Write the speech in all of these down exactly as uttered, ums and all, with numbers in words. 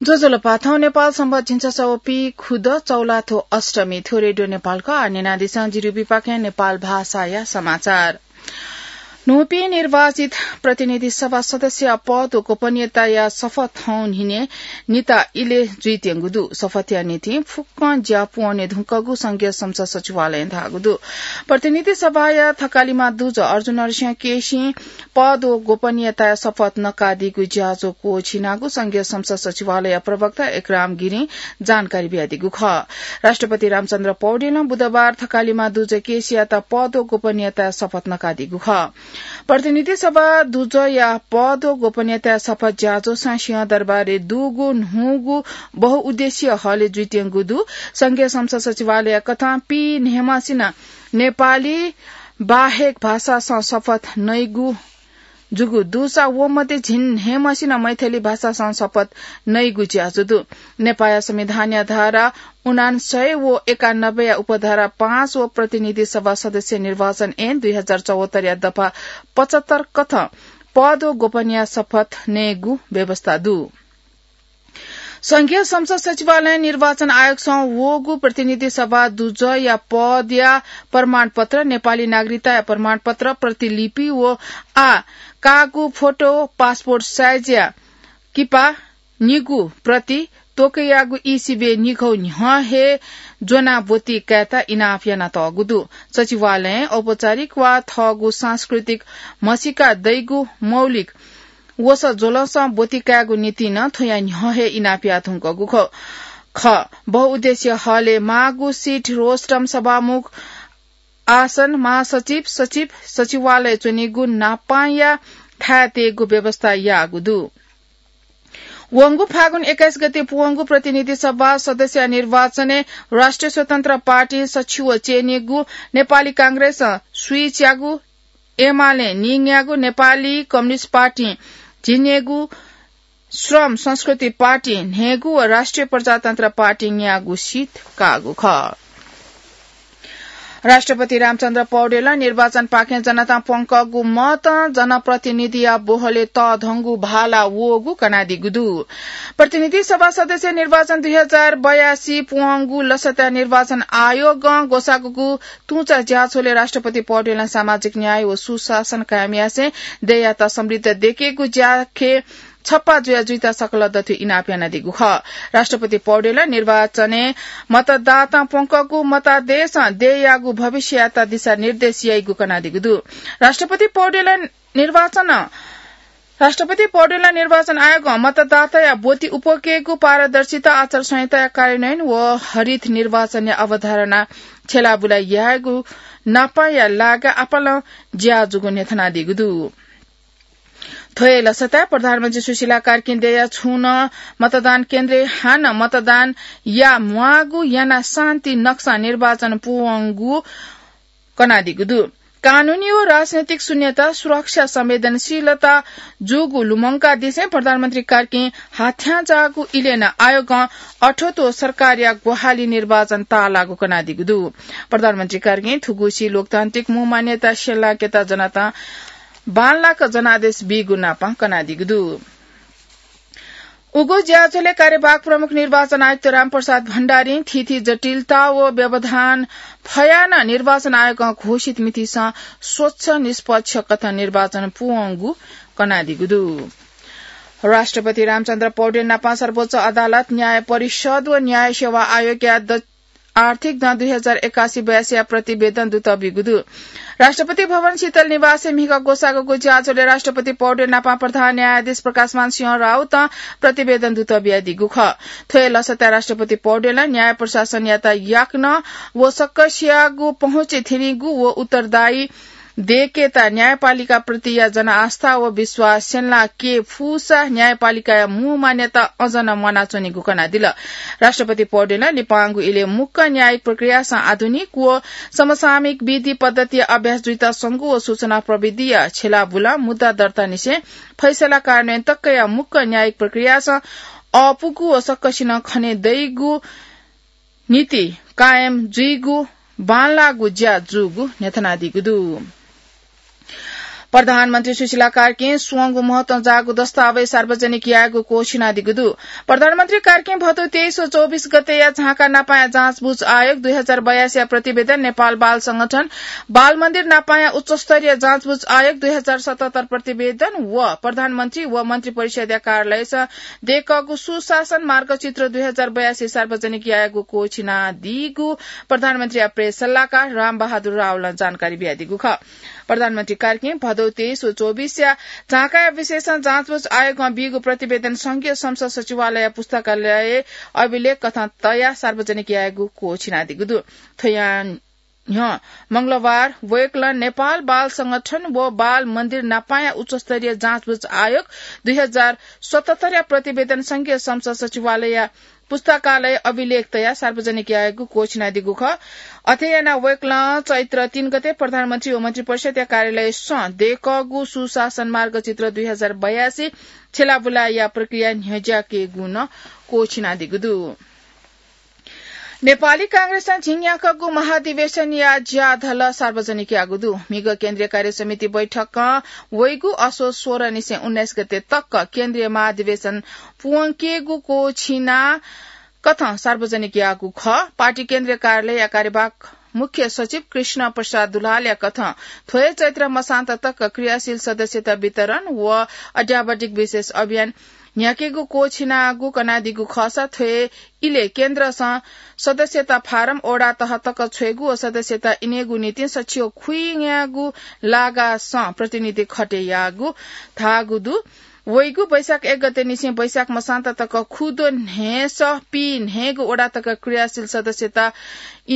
ज्वजलपा, थौं नेपाल संवत् झिंछसः व पीखुदँ चौलाथ्व अष्टमी। थ्व रेडियो नेपाल खः। आः न्यनादिसँ जिरिपिंपाखें नेपाल भाषाया समाचार। न्हूपिं निर्वाचित प्रतिनिधि सभा सदस्यया पद व गोपनीयताया शपथ थौं न्हिनय् निता इलय् जुइत्यंगु दु। शपथया निंतिं फुक्कं ज्या पूवने धुंकूगु संघीय संसद सचिवालयं धाःगु दु। प्रतिनिधि सभाया थकालिमा दुजः अर्जुन नरसिंह केसीं पद व गोपनीयताया शपथ नकादीगु ज्याझ्वः क्वःछिनागु संघीय संसद सचिवालय प्रवक्ता एकराम गिरिं जानकारी बियादीगु खः। राष्ट्रपति रामचन्द्र पौडेलं बुधबार थकालिमा दुजः केसीयात पद व गोपनीयताया शपथ नकादीगु खः। प्रतिनिधि सभा दुजःया पद व गोपनीयताया शपथ ज्याझ्वः सिंहदरबारय् दुगु न्हूगु बहुउद्देश्यीय हलय् जुइत्यंगु दु। संघीय संसद सचिवालय कथं पीन्हय्‌म्हसिनं नेपाली बाहेक भाषासं शपथ नइगु जूगु दुसा व मध्ये झिंन्हय्‌म्हसिनं मैथिली भाषासं शपथ नइगु ज्याझ्वः दु। नेपाःया संविधानया धारा उनान्सय व एकानब्बेया उपधारा पाँच व प्रतिनिधि सभा सदस्य निर्वाचन ऐन दुई हजार चौहत्तरया दफा पचहत्तर कथं पद व गोपनीयता शपथ नयेगु व्यवस्था दु। संघीय संसद सचिवालयं निर्वाचन आयोगसं वःगु प्रतिनिधि सभा दुजःया पदया प्रमाणपत्र, नेपाली नागरिकताया प्रमाणपत्र प्रतिलिपि व आः काःगु फोटो, पासपोर्ट साइजया किपा निगू प्रति, त्वकयागु ई-सिबें निघौ न्ह्यः हे ज्वनाः ब्वति कायेत इनाप यानातःगु दु। सचिवालयं औपचारिक वा थःगु सांस्कृतिक म्हसीका दइगु मौलिक वसः ज्वलंसं ब्वति कायेगु निंतिं नं थ्वया न्ह्यः हे इनाप याये धुंकूगु खः। खः। बहुउद्देश्यीय हलय् माःगु सीट रोस्ट्रम सभामुख, आसन, महासचिव, सचिव, सचिवालय च्वनीगु नापांया थाय् तयेगु व्यवस्था याःगु दु। वंगु फागुन एक्काइस गते पूवंगु प्रतिनिधि सभा सदस्यया निर्वाचनय् राष्ट्रिय स्वतन्त्र पार्टी सछि व च्यनीगु, नेपाली कांग्रेसं स्वीच्यागु, एमालें निंग्यागु, नेपाली कम्युनिस्ट पार्टीं झिंन्यागू, श्रम संस्कृति पार्टीं न्हय्‌गू व राष्ट्रिय प्रजातन्त्र पार्टीं न्यागू सीट काःगु खः। राष्ट्रपति रामचन्द्र पौडेलं निर्वाचनपाखें जनतां प्वंकःगु मतं जनप्रतिनिधिया बोहलय् तःधंगु भाला वःगु कनादीगु दु। प्रतिनिधि सभा सदस्य निर्वाचन दुई हजार बयासी पूवंगु लसता निर्वाचन आयोगं ग्वसाःगु तुंचा ज्याझ्वलय् राष्ट्रपति पौडेलं सामाजिक न्याय व सुशासन कायम यासें देय्‌यात समृद्ध दयेकेगु ज्याखँय् छप्पा जुया जुइत सकल दथुइ इनाप यानादीगु खः। राष्ट्रपति पौडेलं निर्वाचनय् मतदातां प्वंकःगु मतादेशं देय्‌यागु भविष्ययात दिशानिर्देश याइगु कनादीगु दु। राष्ट्रपति पौडेलं निर्वाचन, राष्ट्रपति पौडेलं निर्वाचन आयोगं मतदाताया ब्वति उप्वकेगु, पारदर्शिता, आचार संहिताया कार्यान्वयन व हरित निर्वाचनया अवधारणा छ्यलाबुला यायेगु नापांया लागा आपालं ज्या जूगु न्ह्यथनादीगु दु। थ्व हे लसताय् प्रधानमन्त्री सुशीला कार्कीं देय्‌या छुं नं मतदान केन्द्रय् हानं मतदान याये म्वाःगु यानाः शान्ति नक्सां निर्वाचन पूवंगु कनादीगु दु। कानूनी व राजनैतिक शून्यता, सुरक्षा, संवेदनशीलता जूगु लुमंकादिसें प्रधानमन्त्री कार्कीं हाथ्यां जाःगु इलय् नं आयोगं अठोत्व सरकारया ग्वाहालि निर्वाचन ताःलाःगु कनादीगु दु। प्रधानमन्त्री कार्कीं थुगुसी लोकतान्त्रिक मू मान्यता स्यंलाकेत जनतां बांलाक जनादेश बीगु नापं कनादीगु दु। उगु ज्याझ्वलय् कार्यवाहक प्रमुख निर्वाचन आयुक्त रामप्रसाद भण्डारीं थीथी जटिलता व व्यवधान फयाः नं निर्वाचन आयोगं घोषित मितिसं स्वच्छ निष्पक्ष कथं निर्वाचन पूवंगु कनादीगु दु। राष्ट्रपति रामचन्द्र पौडेल नापं सर्वोच्च अदालत, न्याय परिषद व न्याय सेवा आयोगया द-, आर्थिक दँ दुई हजार एकासी बयासीया प्रतिवेदन दुत बीगु दु। राष्ट्रपति भवन शीतल निवासय् म्हिगः ग्वसाःगु ज्याझ्वलय् राष्ट्रपति पौडेल नापं प्रधान न्यायाधीश प्रकाशमान सिंह राउतं प्रतिवेदन दुत बियादीगु खः। थ्व हे लसताय् राष्ट्रपति पौडेलं न्याय प्रशासनयात याकनं व सकसियागु पहुँचय् थ्यनीगु व उत्तरदायी दयेकेत न्यायपालिका प्रतिया जनआस्था व विश्वास स्यंलाके फुसा न्यायपालिकाया मू मान्यता अझ नं म्वानाच्वनीगु कनादिल। राष्ट्रपति पौडेलं लिपांगु इलय् मुक्क न्यायिक प्रक्रियासं आधुनिक व समसामयिक विधि पद्धतिया अभ्यास जुइत संगु व सूचना प्रविधिया छ्यलाबुलं मुद्दा दर्तानिसें फैसला कार्यान्वयन तकया मुक्क न्यायिक प्रक्रियासं अःपुगु व सकसिनं खने दइगु नीति कायम जुइगु बांलाःगु ज्या जूगु न्ह्यथनादीगु दु। प्रधानमन्त्री सुशीला कार्कीं स्वंगु महत्वं जाःगु दस्तावेज सार्वजनिक यायेगु क्वःछिनादीगु दु। प्रधानमन्त्री कार्कीं भदौ तेइस व चौबिस गतेया झाँका नापाया जाँचबुझ आयोग दुई हजार बयासीया प्रतिवेदन, नेपाल बाल संगठन, बाल मन्दिर नापाया उच्चस्तरीय जाँचबुझ आयोग दुई हजार सतहत्तर प्रतिवेदन व प्रधानमन्त्री व मन्त्री परिषद्या कार्यालयस दय्कःगु सुशासन मार्गचित्र दुई हजार बयासी सार्वजनिक यायेगु क्वःछिनादीगु प्रधानमन्त्रीया प्रेस सल्लाहकार रामबहादुर रावलं जानकारी बियादीगु खः। प्रधानमन्त्री कार्कीं भदौ तेइस व चौबिसया झाँकाया विशेषं जाँचबुझ आयोगं बीगु प्रतिवेदन संघीय संसद सचिवालय पुस्तकालय अभिलेख कथं तयाः सार्वजनिक यायेगु क्वःछिनादीगु दु। थ्वया न्ह्यः मंगलबार वय्कलं नेपाल बाल संगठन व बाल मन्दिर नापाया उच्चस्तरीय जाँचबुझ आयोग दुई हजार सतहत्तरया प्रतिवेदन संघीय संसद सचिवालयया पुस्तकालय अभिलेख तयाः सार्वजनिक यायेगु क्वःछिनादीगु खः। अथे यानाः वय्कलं चैत्र तीन गते प्रधानमन्त्री व मन्त्रिपरिषद्या कार्यालयसं दय्कःगु सुशासन मार्गचित्र दुई हजार बयासी छ्यलाबुलाया प्रक्रिया न्ह्यज्याकेगु नं क्वःछिनादीगु दु। नेपाली कांग्रेसं झिंन्याक्वःगु महाधिवेशनया ज्याधल सार्वजनिक याःगु दु। म्हिगः केन्द्रीय कार्य समिति बैठकं वइगु असोज सोह्र निसें उन्नाइस गते तक केन्द्रीय महाधिवेशन पूवंकेगु क्वःछिना कथं सार्वजनिक याःगु खः। पार्टी केन्द्रीय कार्यालयया कार्यवाहक मुख्य सचिव कृष्ण प्रसाद दुलालया कथं थ्व हे चैत्र मसान्त तक क्रियाशील सदस्यता वितरण व अध्यावधिक विशेष अभियान न्ह्याकेगु क्वःछिनागु कनादीगु खःसा थ्व हे इलय् केन्द्रसं सदस्यता फारम वडा तह तक छ्वयेगु व सदस्यता इनेगु निंतिं सछियो खुइन्यायेगु लागासं प्रतिनिधि खटे याःगु धाःगु दु। वइगु वैशाख एक गते निसें वैशाख मसान्त तक खुद्वः न्हय्सः पीन्हय्गु वडा तक क्रियाशील सदस्यता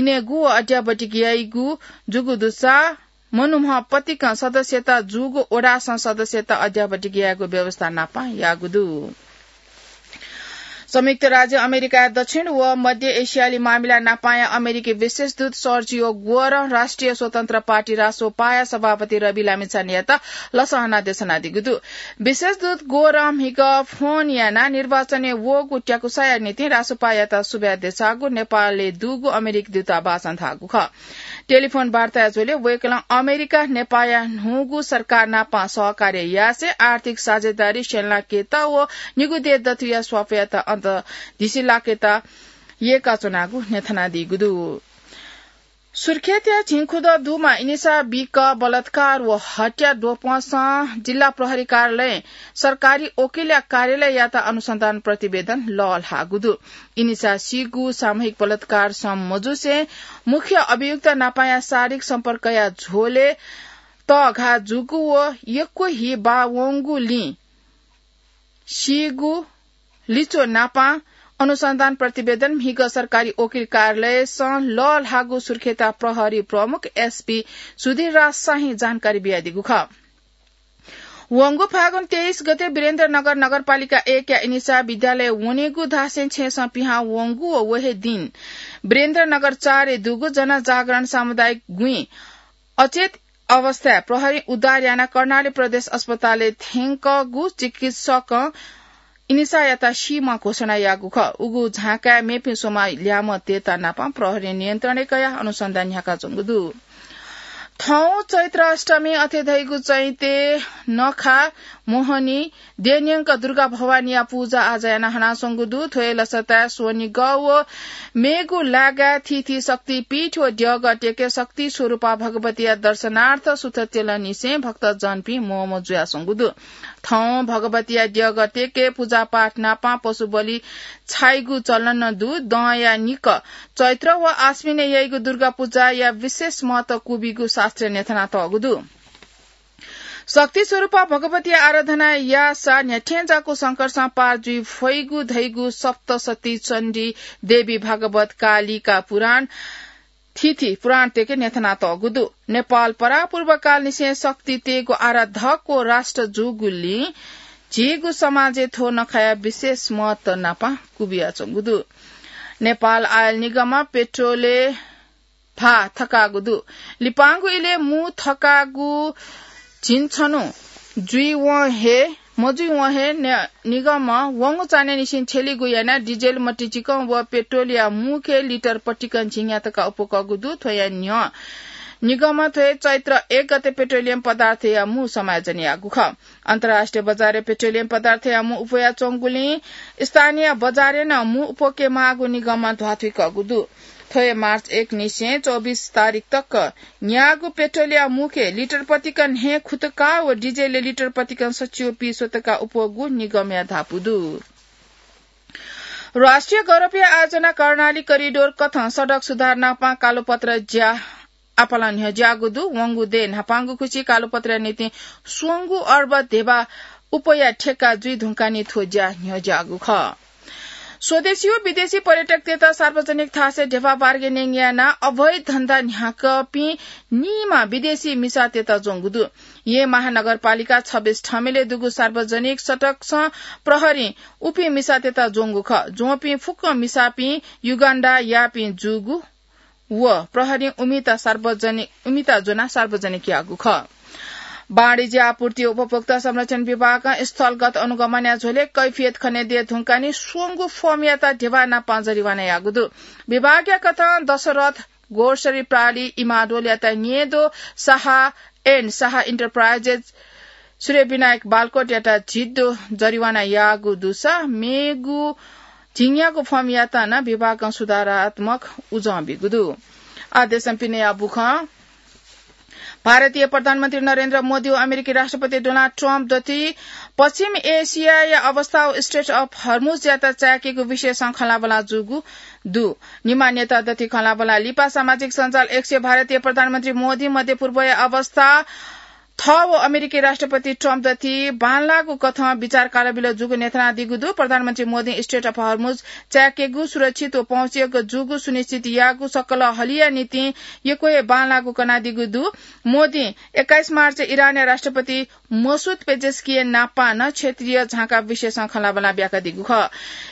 इनेगु व अध्यावधिक याइगु जूगु दुसा मनुम्ह पतिकं सदस्यता जूगु वडासं सदस्यता अध्यावधिक यायेगु व्यवस्था नापं याःगु दु। संयुक्त राज्य अमेरिकाया दक्षिण व मध्य एसियाली मामिला नापाया अमेरिकी विशेष दूत सर्जियो ग्वरं राष्ट्रिय स्वतन्त्र पार्टी रासोपाया सभापति रवि लामिछानेयात लसहना देछानादीगु दु। विशेष दूत ग्वरं म्हिगः फोन यानाः निर्वाचनय् वःगु त्याकुसाया निंतिं रासोपायात सुभाय् देछाःगु नेपालय् दुगु अमेरिकी दूतावासं धाःगु खः। टेलिफोन वार्ताया झ्वलय् वय्कलं अमेरिका नेपाःया न्हूगु सरकार नापं सहकार्य यासें आर्थिक साझेदारी स्यंलाकेत व निगू देय् दथुइया स्वापयात अन्तर्दिशी लाकेत यय्काच्वनागु न्ह्यथनादीगु दु। सुर्खेतया झिंखुदँ दुमा इनिसा बिक बलात्कार व हत्या द्वपंसं जिल्ला प्रहरी कार्यालयं सरकारी वकिलया कार्यालययात अनुसन्धान प्रतिवेदन लःल्हाःगु दु। इनिसा सीगु सामूहिक बलात्कार सं मजुसें मुख्य अभियुक्त नापाया शारीरिक सम्पर्कया झ्वलय् तःघाः जूगु व यक्व हि बाः वंगुलिं सीगु लिच्वः नापं अनुसन्धान प्रतिवेदन म्हिगः सरकारी वकिल कार्यालयसं लःल्हाःगु सुर्खेता प्रहरी प्रमुख एसपी सुधीर राज शाहीं जानकारी बियादीगु खः। वंगु फागुन तेइस गते वीरेन्द्रनगर नगरपालिका एकया इनिसा विद्यालय वनेगु धासें छेँसं पिहां वंगु व व हे दिं वीरेन्द्रनगर चारय् दुगु जनजागरण सामुदायिक गुँइ अचेत अवस्थाय् प्रहरीं उद्धार यानाः कर्णाली प्रदेश अस्पतालय् थ्यंकूगु चिकित्सकं इनिसायात सीम्ह घोषणा याःगु खः। उगु झाँकाय् मेपिं स्वम्ह ल्याय्म्ह तयेत नापं प्रहरीं नियन्त्रणय् कयाः अनुसन्धान न्ह्याकाच्वंगु दु। थौं चैत्र अष्टमी अथे धइगु चैते नखा मोहनी देय् न्यंक दुर्गा भवानीया पुजा आजा यानाः हनाच्वंगु दु। थ्व हे लसताय् स्वनिगः व मेगु लागाय् थीथी शक्तिपीठ व द्यःगः तेके शक्ति स्वरूपा भगवतीया दर्शनार्थ सुथ त्यलंनिसें भक्तजनपिं म्हमं जुयाच्वंगु दु। थौं भगवतीया द्यःगः तेके पुजापाठ नापं पशुबलि छाइगु चलन नं दु। दँया निकः चैत्र व आश्विनय् याइगु दुर्गा पुजाया विशेष महत्व क्वबीगु शास्त्रय् न्ह्यथनातःगु दु। शक्ति स्वरूपा भगवतीया आराधना याःसा न्ह्याथेंज्याःगु संकटसं पार जुइ फइगु धइगु सप्तशती चण्डी देवी भागवत कालिका पुराण थीथी पुराण तेके न्ह्यथनातःगु दु। नेपाल परापूर्वकालनिसें शक्ति तयेगु आराधक व राष्ट्र जूगुलिं झीगु समाजय् थ्व नखाया विशेष महत्व नापं क्वबियाच्वंगु दु। नेपाल आयल निगमं पेट्रोलय् भाः थकाःगु दु। लिपांगु इलय् मू थकाःगु झिंछन्हु जुइवं हे, मजुइवं हे ने-, निगमं वंगु चान्हय्‌निसें थ्यलीगु यानाः डिजेल मतिचिकं व पेट्रोलया मूखे लिटर पतिकं झिंन्याः तका अप्वःकःगु दु। थ्वया न्ह्यः निगमं थ्व हे चैत्र एक गते पेट्रोलियम पदार्थया मू समायोजन याःगु खः। अन्तर्राष्ट्रिय बजारय् पेट्रोलियम पदार्थया मू उप्वयाच्वंगुलिं स्थानीय बजारय् नं मू उप्वके माःगु निगमं ध्वाथुइकःगु दु। थ्व हे मार्च एक निसें चौबिस तारिख तक न्याःगु पेट्रोलया मूके लिटर पतिकं न्हय् खुतकाः व डिजेलया लिटर पतिकं सच्छि व पीस्वतकाः उप्वःगु निगमया धापू दु। राष्ट्रिय गौरवया आयोजना कर्णाली करिडोर कथं सडक सुधार नापं कालोपत्र ज्या आपालं न्ह्यज्याःगु दु। वंगु दँय् न्हापांगु खुसि कालोपत्रया निंतिं स्वंगू अर्ब ध्यबा उप्वया ठेक्का जुइ धुंकाः निं थ्व ज्या न्ह्यज्याःगु खः। स्वदेशी व विदेशी पर्यटकतय्त सार्वजनिक थासय् ध्यबा बार्गेनिङ यानाः अवैध धन्दा न्ह्याकपिं निम्ह विदेशी मिसातय्त ज्वंगु दु। येँ महानगरपालिका छब्बीस ठमेलय् दुगु सार्वजनिक सडकसं प्रहरीं उपिं मिसातय्त ज्वंगु खः। ज्वंपिं फुक्क मिसापिं युगान्डायापिं जूगु व प्रहरीं उमित सार्वजनिक, उमित ज्वनाः सार्वजनिक याःगु खः। वाणिज्य आपूर्ति व उपभोक्ता संरक्षण विभागं स्थलगत अनुगमनया झ्वलय् कैफियत खनेदये धुंकाः निं स्वंगू फर्मयात ध्यबा नापं जरिवाना याःगु दु। विभागया कथं दशरथ ग्रोसरी प्राली इमाडोलयात न्येदो साहा and साहा इन्टरप्राइजेस सूर्यविनायक बालकोटयात झिद्दो जरिवाना याःगु दुसा मेगु झिंयागु फर्मयात नं विभागं सुधारात्मक उजं बीगु दु। आः देशं पिनेया बुखँ। भारतीय प्रधानमन्त्री नरेन्द्र मोदी व अमेरिकी राष्ट्रपति डोनाल्ड ट्रम्प दथुइ पश्चिम एसियाया अवस्था व स्ट्रेट अफ हर्मुजयात चाय्केगु विषयसं खँल्हाबल्हा जूगु दु। निम्ह नेता दथुइ खँल्हाबल्हा लिपा सामाजिक सञ्जाल X-य् भारतीय प्रधानमन्त्री मोदी मध्यपूर्वया अवस्था थः व अमेरिकी राष्ट्रपति ट्रम्प दथुइ बांलाःगु कथं विचार कालबिल जूगु न्ह्यथनादीगु दु। प्रधानमन्त्री मोदीं स्ट्रेट अफ हर्मुज चाय्केगु, सुरक्षित व पहुँचय्क जूगु सुनिश्चित याःगु सकल हलिया निंतिं यक्व हे बांलाःगु कनादीगु दु। मोदीं एक्काइस मार्च इरानया राष्ट्रपति मसुद पेजेस्कियन नापं नं क्षेत्रीय झांका विषयसं खँल्हाबल्हा ब्याकादीगु खः।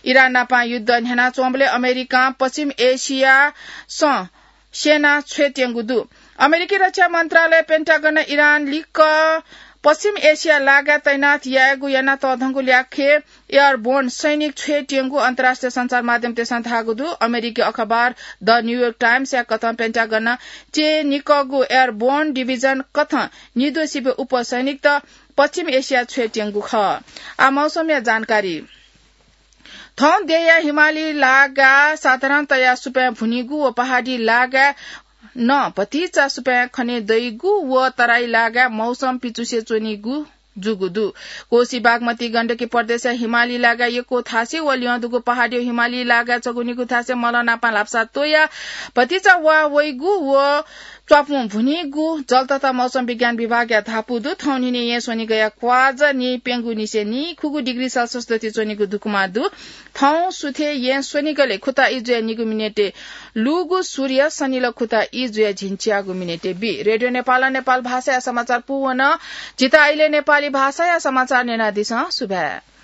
इरान नापं युद्ध न्ह्यानाच्वंबलय् अमेरिकां पश्चिम एसियासं सेना छ्वयेत्यंगु दु। अमेरिकी रक्षा मन्त्रालय पेन्टागनं इरान लिक्क पश्चिम एसिया लागाय् तैनात यायेगु याना तःधंगु ल्याखय् एयरबोर्न सैनिक छ्वयेत्यंगु अन्तर्राष्ट्रिय सञ्चार माध्यमतय्सं धाःगु दु। अमेरिकी अखबार द न्यूयोर्क टाइम्सया कथं पेन्टागनं च्यय्निकःगु एयरबोर्न डिभिजन कथं निद्वः सिबें उप्वः सैनिकत पश्चिम एसिया छ्वयेत्यंगु खः। आः मौसमया जानकारी। थौं देय्या हिमाली लागाय् साधारणतया सुपाँय् भुनीगु व पहाडी लागाय् नं भतिचा सुपाँय् खने दइगु व तराई लागाय् मौसम पिचुसे च्वनीगु जूगु दु। कोसी, बागमती, गण्डकी प्रदेशया हिमाली लागाय् यक्व थासय् व ल्यं दुगु पहाडी हिमाली लागाय् छगू निगू थासय् मलं नापं ल्हापसा त्वयाः भतिचा वाः वइगु व च्वापुं भुनीगु जल तथा मौसम विज्ञान विभागया धापू दु। थौं न्हिनय् येँ स्वनिगःया क्वाःया निं प्यंगू निसें निखुगू डिग्री सेल्सियस दथुइ च्वनीगु दुकुमा दु। थौं सुथय् येँ स्वनिगलय् खुता ई जुयाः निगू मिनेटय् लूगु सूर्य सनिल खुता ई जुयाः झिंच्याःगु मिनेटय् बी। रेडियो नेपालं नेपाल भाषाया समाचार पूवन। झीत अले नेपाली भाषाया समाचार न्यनादिसँ। सुभाय्।